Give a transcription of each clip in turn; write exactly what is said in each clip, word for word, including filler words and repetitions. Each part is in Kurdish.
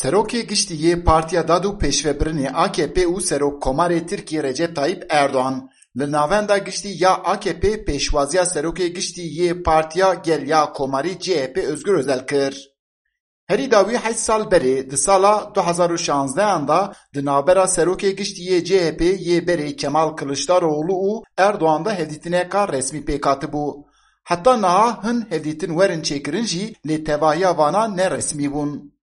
Serokê Giştî yê Partiya Dad û Pêşvebirinê A K P û Serokkomarê Tirkiyê Recep Tayyip Erdoğan li navenda giştî ya A K P pêşwaziya Serokê Giştî yê Partiya Gel ya Komarî C H P Özgür Özel kir. Herî dawî heşt sal berê di sala du hazar û şanzdehan de di navbera Serokê Giştî yê C H P yê berê Kemal Kılıçdaroğlu û Erdoğan de hevdîtineka resmî pêk hatibû. Heta niha hin hevdîtin werin çêkirin jî lê tevahiya vana ne resmî bûn.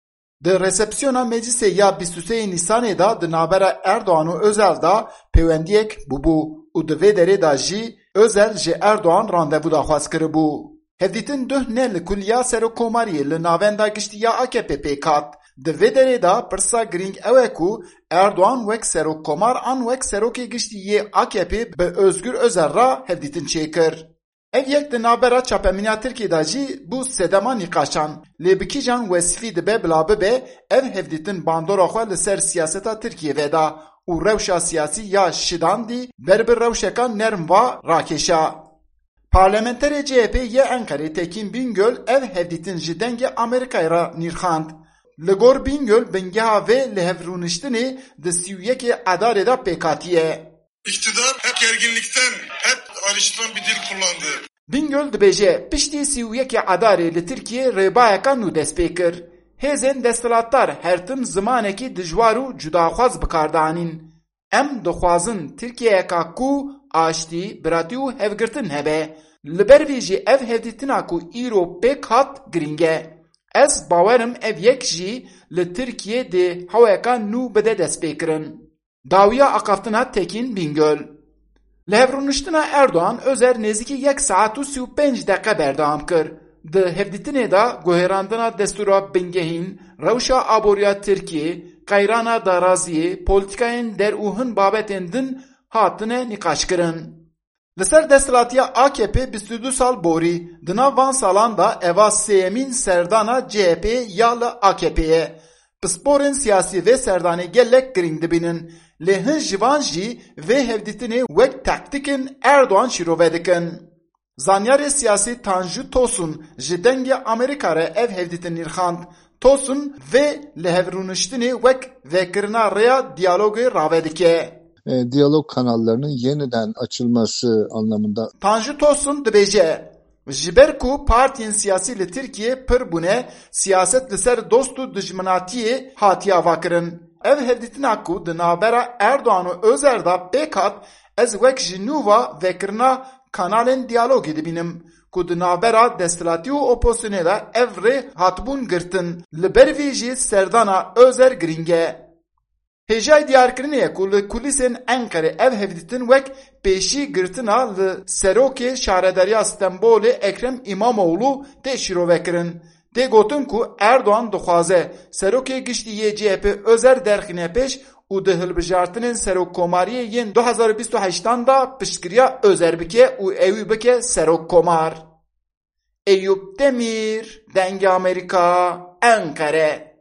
Di resepsiyona meclisê ya bîst û sê Nîsanê de di navbera Erdoğan û Özel de pêwendiyek bûbû û di vê derê de jî Özel ji Erdoğan randevu daxwaz kiribû. Hevdîtin duh ne li kuliya serokkomariyê li navenda giştî ya A K P pêk hat. Di vê derê de pirsa girîng ew e ku Erdoğan wek serokkomar an wek serokê giştî yê A K P bi Özgür Özel re hevdîtin çêkir. Ev yek di navbera çapemeniya Tirkiyê de jî bû sedema nîqaşan. Lê bi kîjan wesfî dibe bila bibe, ev hevdîtin bandora xwe li ser siyaseta Tirkiyê veda û rewşa siyasî ya şidandî ber bi rewşeka nerm va rakêşa. Parlamenterê C H P yê Enqerê Tekîn Bingöl ev hevdîtin ji Dengê Amerîkayê re nirxand. Li gor Bingöl bingeha vê li hev rûniştinê di sî û yekê Edarê de pêk hatiye. İktidar hep gerginlikten, hep ayrıştıran bir dil kullandı. Bingöl dibêje, piştî sî û yekê Edarê li Tirkiyê rêbayeka nû dest pê kir. Hêzên desthilatdar her tim zimanekî dijwar û cudaxwaz bi kar dianîn. Em dixwazin Tirkiyeyeka ku aştî, biratî û hevgirtin hebe. Li ber vî jî ev hevdîtina ku îro pêk hat girîng e. Ez bawer im ev yek jî li Tirkiyê dê heweka nû bide destpêkirin. Dawiya axaftina Tekîn Bingöl. Li hevrûniştina Erdoğan Özer nêzîkî yek saet û sî û pênc deqe berdewam kir. Di hevdîtinê de guherandina destûra bingehîn, rewşa aboriya Tirkiyê, qeyrana daraziyê, polîtîkayên der û hin babetên din hatine nîqaşkirin. Li ser desthilatiya A K P bîst û du sal borî, di nav van salan de eva sêyemîn serdana C H P ya li A K P ye. Pisporên siyasî vê serdanê gelek girîng dibînin, lê hin ji van jî vê hevdîtinê wek taktîkên Erdoğan şîrove dikin. Zanyarê siyasî Tanju Tosun ji Dengê Amerîka re ev hevdîtin nirxand. Tosun vê li hevrûniştinê wek vekirina rêya diyalogê rave dike. E, diyalog kanallarının yeniden açılması anlamında. Tanju Tosun dibêje, ji ber ku partiyên siyasî li Tirkiyê pir bûne, siyaset li ser dost û dijminatiyê hatiye avakirin. Ev hevdîtina ku di navbera Erdoğan û Özel de pêk hat, ez wek ji nû ve vekirina kanalên diyalogê dibînim ku di navbera desthilatî û opozisyonê de ev rê hatibûn girtin. Li ber vî jî serdana Özel girîng e. Hêjayî diyarkirinê ye ku li kulîsên Enqerê ev hevdîtin wek pêşî girtina li serokê şaredariya Stenbolê Ekrem Îmamoğlu tê şîrovekirin. Tê gotin ku Erdoğan dixwaze serokê giştî yê C H P Özer derxîne pêş û di hilbijartinên serokkomariyê yên du hazar û bîst û heştan de piştgiriya Özer bike û ewî bike serokkomar. Eyûp Demîr, Dengê Amerîka, Enqere.